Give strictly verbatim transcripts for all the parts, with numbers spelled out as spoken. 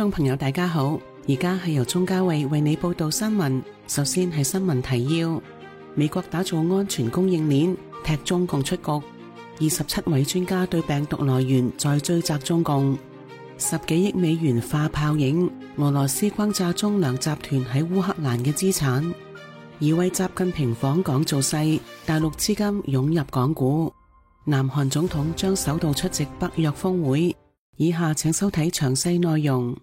眾朋友大家好，而家係由鍾嘉慧為你報道新聞。首先係新聞提要：美國打造安全供應鏈，踢中共出局。二十七位專家對病毒來源再追責中共。十幾億美元化泡影，俄羅斯轟炸中糧集團喺烏克蘭嘅資產。而為習近平訪港造勢，大陸資金湧入港股。南韓總統將首度出席北約峰會。以下請收睇詳細內容。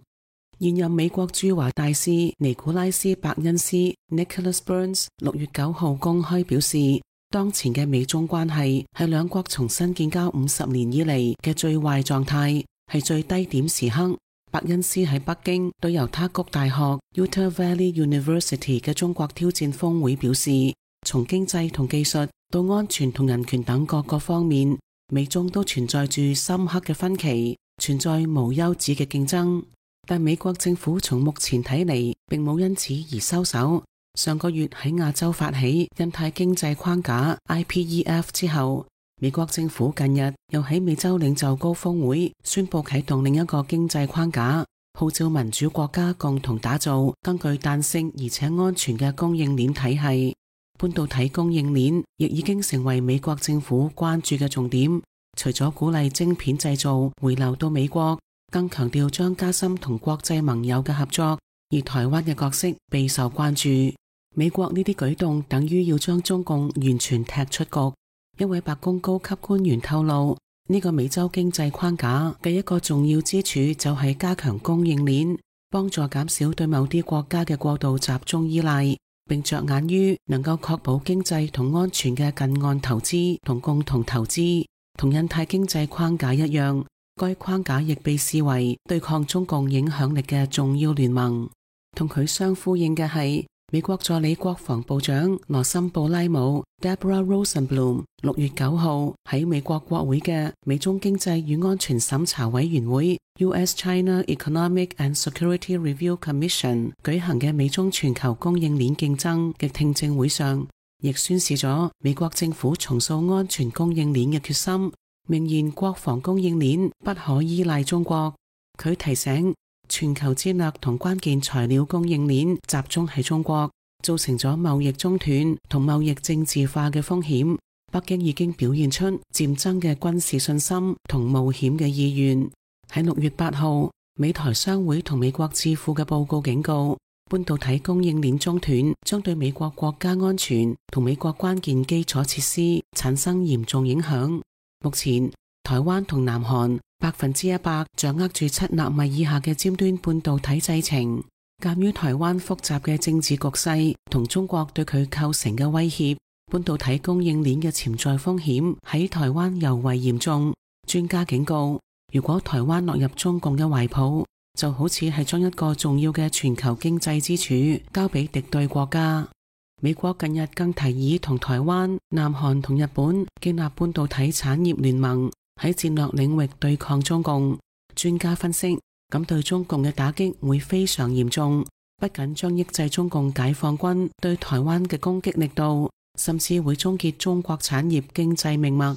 現任美國駐華大使尼古拉斯·伯恩斯 （Nicholas Burns） 六月九號公開表示，當前嘅美中關係係兩國重新建交五十年以嚟嘅最壞狀態，係最低點時刻。伯恩斯喺北京對猶他谷大學 （Utah Valley University） 嘅中國挑戰峰會表示，從經濟同技術到安全同人權等各個方面，美中都存在住深刻嘅分歧，存在無休止嘅競爭。但美國政府從目前睇嚟並冇因此而收手。上個月喺亞洲發起印太經濟框架 I P E F 之後，美國政府近日又喺美洲領袖高峰會宣布啟動另一個經濟框架，號召民主國家共同打造更具彈性而且安全嘅供應鏈體系。半導體供應鏈亦已經成為美國政府關注嘅重點。除咗鼓勵晶片製造回流到美國，更強調將加深同國際盟友嘅合作，而台灣嘅角色備受關注。美國呢啲舉動等於要將中共完全踢出局。一位白宮高級官員透露，呢個美洲經濟框架嘅一個重要之處就係加強供應鏈，幫助減少對某啲國家嘅過度集中依賴，並着眼於能夠確保經濟同安全嘅近岸投資同共同投資。同印太經濟框架一樣，該框架亦被視為對抗中共影響力嘅重要聯盟。同佢相呼應嘅係美國助理國防部長羅森布拉姆 Deborah Rosenblum 六月九號喺美國國會嘅美中經濟與安全審查委員會 U S-China Economic and Security Review Commission 舉行嘅美中全球供應鏈競爭嘅聽證會上，亦宣示咗美國政府重塑安全供應鏈嘅決心，明言國防供應鏈不可依賴中國。佢提醒，全球戰略同關鍵材料供應鏈集中喺中國，造成咗貿易中斷同貿易政治化嘅風險。北京已經表現出漸增嘅軍事信心同冒險嘅意願。喺六月八號，美台商會同美國智庫嘅報告警告，半導體供應鏈中斷將對美國國家安全同美國關鍵基礎設施產生嚴重影響。目前，台灣同南韓百分之一百掌握住七納米以下嘅尖端半導體製程。鑒於台灣複雜嘅政治局勢同中國對佢構成嘅威脅，半導體供應鏈嘅潛在風險喺台灣尤為嚴重。專家警告，如果台灣落入中共嘅懷抱，就好似係將一個重要嘅全球經濟支柱交俾敵對國家。美國近日更提議同台灣、南韓同日本建立半導體產業聯盟，喺戰略領域對抗中共。專家分析，咁對中共嘅打擊會非常嚴重，不僅將抑制中共解放軍對台灣嘅攻擊力度，甚至會終結中國產業經濟命脈。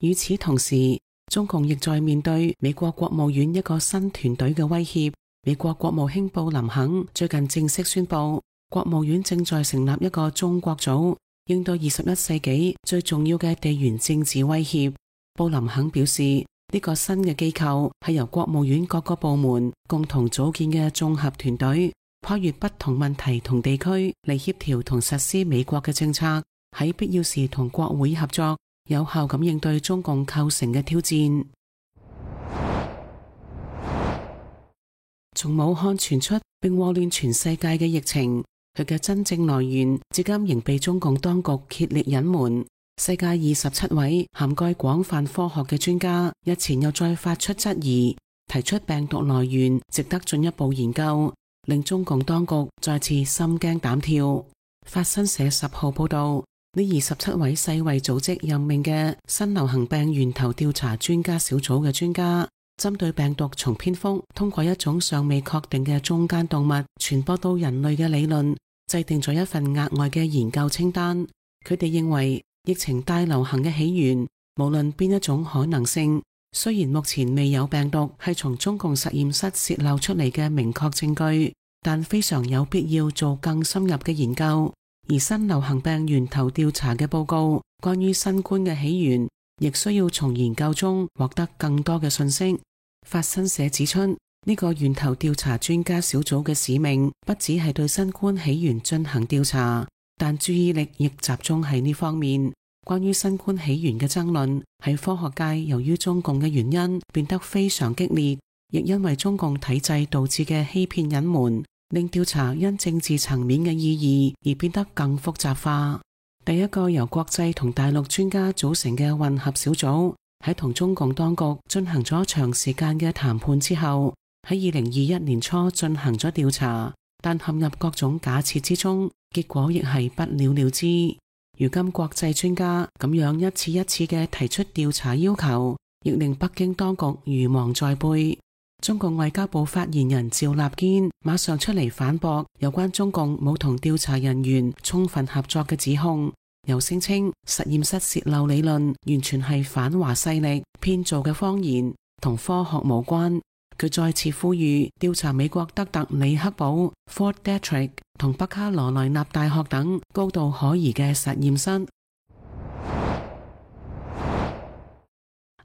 與此同時，中共亦在面對美國國務院一個新團隊嘅威脅。美國國務卿布林肯最近正式宣布，國務院正在成立一個中國組，應對二十一世紀最重要嘅地緣政治威脅。布林肯表示，呢個新嘅機構係由國務院各個部門共同組建嘅綜合團隊，跨越不同問題同地區嚟協調同實施美國嘅政策，喺必要時同國會合作，有效咁應對中共構成嘅挑戰。從武漢傳出並禍亂全世界嘅疫情，佢嘅真正來源至今仍被中共當局竭力隱瞞。世界二十七位涵蓋廣泛科學嘅專家日前又再發出質疑，提出病毒來源值得進一步研究，令中共當局再次心驚膽跳。法新社十號報道，呢二十七位世衛組織任命嘅新流行病源頭調查專家小組嘅專家，針對病毒從蝙蝠通過一種尚未確定嘅中間動物傳播到人類嘅理論，制定咗一份額外嘅研究清單。佢哋認為疫情大流行嘅起源，無論邊一種可能性，雖然目前未有病毒係從中共實驗室洩漏出嚟嘅明確證據，但非常有必要做更深入嘅研究。而新流行病源頭調查嘅報告，關於新冠嘅起源，亦需要從研究中獲得更多嘅信息。法新社指出，呢個源頭調查專家小組嘅使命不只係對新冠起源進行調查，但注意力亦集中喺呢方面。關於新冠起源嘅爭論喺科學界由於中共嘅原因變得非常激烈，亦因為中共體制導致嘅欺騙隱瞞，令調查因政治層面嘅意義而變得更複雜化。第一個由國際同大陸專家組成嘅混合小組喺同中共當局進行咗長時間嘅談判之後，喺二零二一年初進行咗調查，但陷入各種假設之中，結果亦係不了了之。如今國際專家咁樣一次一次嘅提出調查要求，亦令北京當局如芒在背。中共外交部發言人趙立堅馬上出嚟反駁有關中共冇同調查人員充分合作嘅指控，又聲稱實驗室洩漏理論完全係反華勢力編造嘅謊言，同科學無關。佢再次呼籲調查美國德特里克堡 Fort Detrick 同北卡羅來納大學等高度可疑嘅實驗室。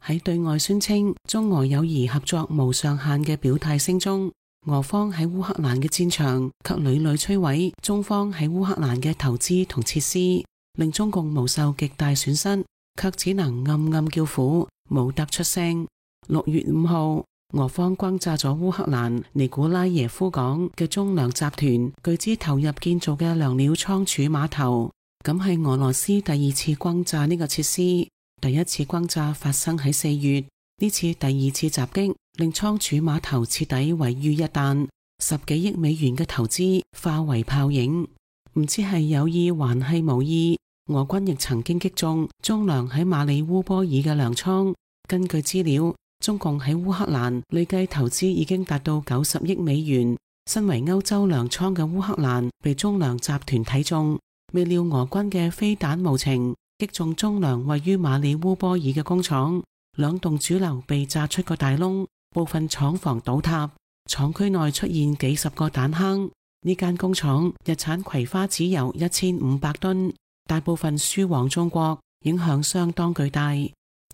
喺對外宣稱中俄友誼合作無上限嘅表態聲中，俄方喺烏克蘭嘅戰場卻屢屢摧毀中方喺烏克蘭嘅投資同設施，令中共無受極大損失，卻只能暗暗叫苦，冇得出聲。六月五號，俄方轟炸咗烏克蘭尼古拉耶夫港嘅中糧集團巨資投入建造嘅糧料倉儲碼頭，咁係俄羅斯第二次轟炸呢個設施。第一次轟炸發生喺四月，呢次第二次襲擊令倉儲碼頭徹底毀於一旦，十幾億美元嘅投資化為泡影。唔知係有意還係無意，俄軍亦曾經擊中中糧喺馬里烏波爾嘅糧倉。根據資料，中共喺烏克蘭累計投資已經達到九十億美元。身為歐洲糧倉嘅烏克蘭被中糧集團睇中，未料俄軍嘅飛彈無情擊中中糧位於馬里烏波爾嘅工廠，兩棟主樓被炸出個大窿，部分廠房倒塌，廠區內出現幾十個彈坑。呢間工廠日產葵花籽油一千五百噸，大部分輸往中國，影響相當巨大。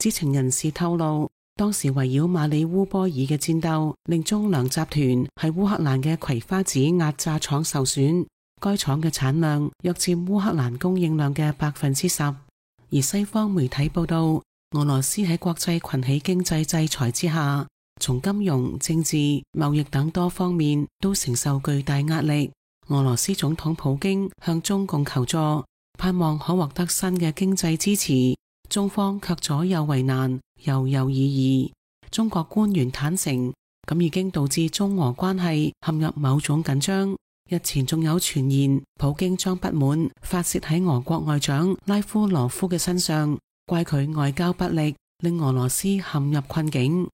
知情人士透露，當時圍繞馬里烏波爾嘅戰鬥令中糧集團喺烏克蘭嘅葵花籽壓榨廠受損，該廠嘅產量約佔烏克蘭供應量嘅百分之十。而西方媒體報道，俄羅斯喺國際群起經濟制裁之下，從金融、政治、貿易等多方面都承受巨大壓力。俄羅斯總統普京向中共求助，盼望可獲得新嘅經濟支持，中方卻左右為難，猶猶豫豫。中國官員坦承，咁已經導致中俄關係陷入某種緊張。日前仲有傳言，普京將不滿發洩喺俄國外長拉夫羅夫嘅身上，怪佢外交不力，令俄羅斯陷入困境。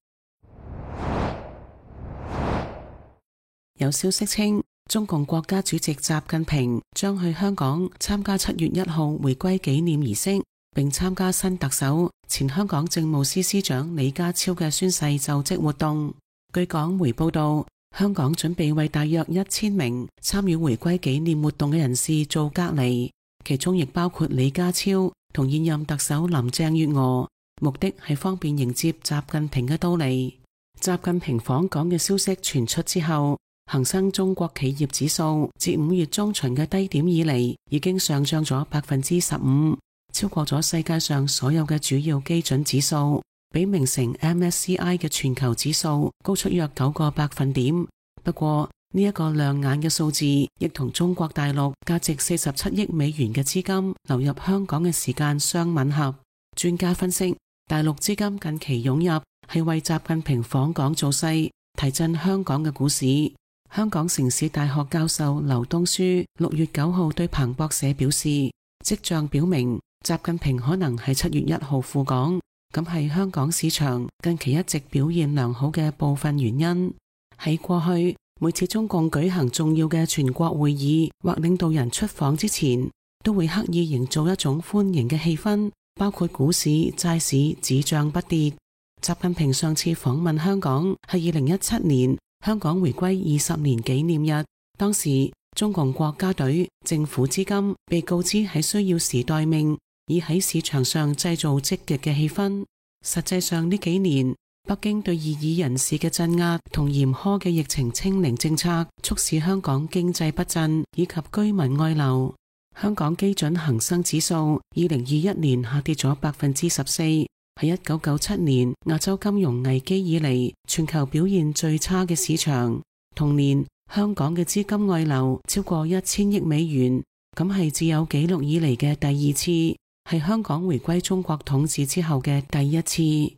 有消息稱，中共國家主席習近平將去香港參加七月一號回歸紀念儀式，並參加新特首前香港政務司司長李家超嘅宣誓就職活動。據港媒報道，香港準備為大約一千名參與回歸紀念活動嘅人士做隔離，其中亦包括李家超同現任特首林鄭月娥，目的係方便迎接習近平嘅到嚟。習近平訪港嘅消息傳出之後，恒生中國企業指數自五月中旬嘅低點以嚟，已經上漲咗百分之十五，超過咗世界上所有嘅主要基準指數。比名成 M S C I 嘅全球指數高出約九個百分點。不過呢一個亮眼嘅數字，亦同中國大陸價值四十七億美元嘅資金流入香港嘅時間相吻合。專家分析，大陸資金近期湧入係為習近平訪港造勢，提振香港嘅股市。香港城市大學教授劉東書六月九號對彭博社表示，跡象表明習近平可能係七月一號赴港。咁係香港市場近期一直表現良好嘅部分原因。喺過去，每次中共舉行重要嘅全國會議或領導人出訪之前，都會刻意營造一種歡迎嘅氣氛，包括股市、債市只漲不跌。習近平上次訪問香港係二零一七年香港回歸二十年紀念日，當時中共國家隊政府資金被告知係需要時待命，以喺市場上製造積極嘅氣氛。實際上呢幾年，北京對異議人士嘅鎮壓同嚴苛嘅疫情清零政策，促使香港經濟不振以及居民外流。香港基準恒生指數二零二一年下跌咗百分之十四，係一九九七年亞洲金融危機以嚟全球表現最差嘅市場。同年，香港嘅資金外流超過一千億美元，咁係自有紀錄以嚟嘅第二次，係香港回歸中國統治之後嘅第一次。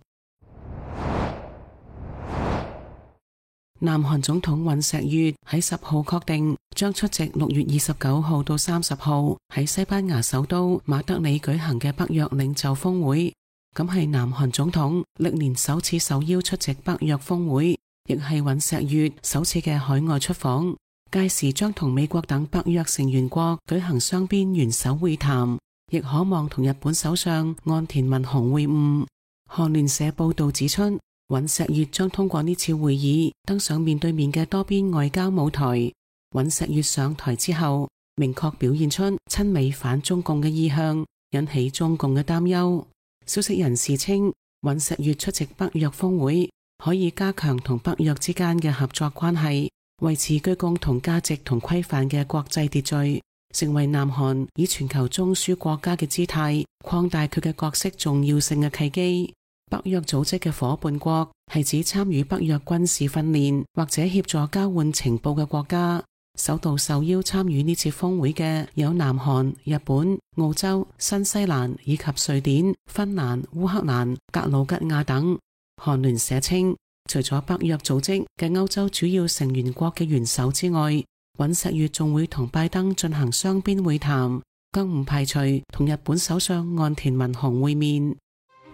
南韓總統尹錫悅喺十號確定將出席六月二十九號到三十號喺西班牙首都馬德里舉行嘅北約領袖峰會，咁係南韓總統歷年首次受邀出席北約峰會，亦係尹錫悅首次嘅海外出訪。屆時將同美國等北約成員國舉行雙邊元首會談，亦可望同日本首相岸田文雄會晤。韓聯社報道指出，尹錫悅將通過呢次會議登上面對面嘅多邊外交舞台。尹錫悅上台之後，明確表現出親美反中共嘅意向，引起中共嘅擔憂。消息人士稱，尹錫悅出席北約峰會，可以加強同北約之間嘅合作關係，維持具共同價值同規範嘅國際秩序，成為南韓以全球中樞國家嘅姿態擴大佢嘅角色重要性嘅契機。北約組織嘅夥伴國係指參與北約軍事訓練或者協助交換情報嘅國家。首度受邀參與呢次峰會嘅有南韓、日本、澳洲、新西蘭以及瑞典、芬蘭、烏克蘭、格魯吉亞等。韓聯社稱，除咗北約組織嘅歐洲主要成員國嘅元首之外，尹錫悅仲會同拜登進行雙邊會談，更唔排除同日本首相岸田文雄會面。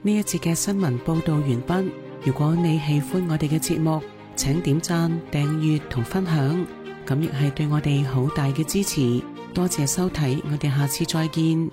呢一節嘅新聞報道完畢。如果你喜歡我哋嘅節目，請點讚、訂閱同分享，咁亦係對我哋好大嘅支持。多謝收睇，我哋下次再見。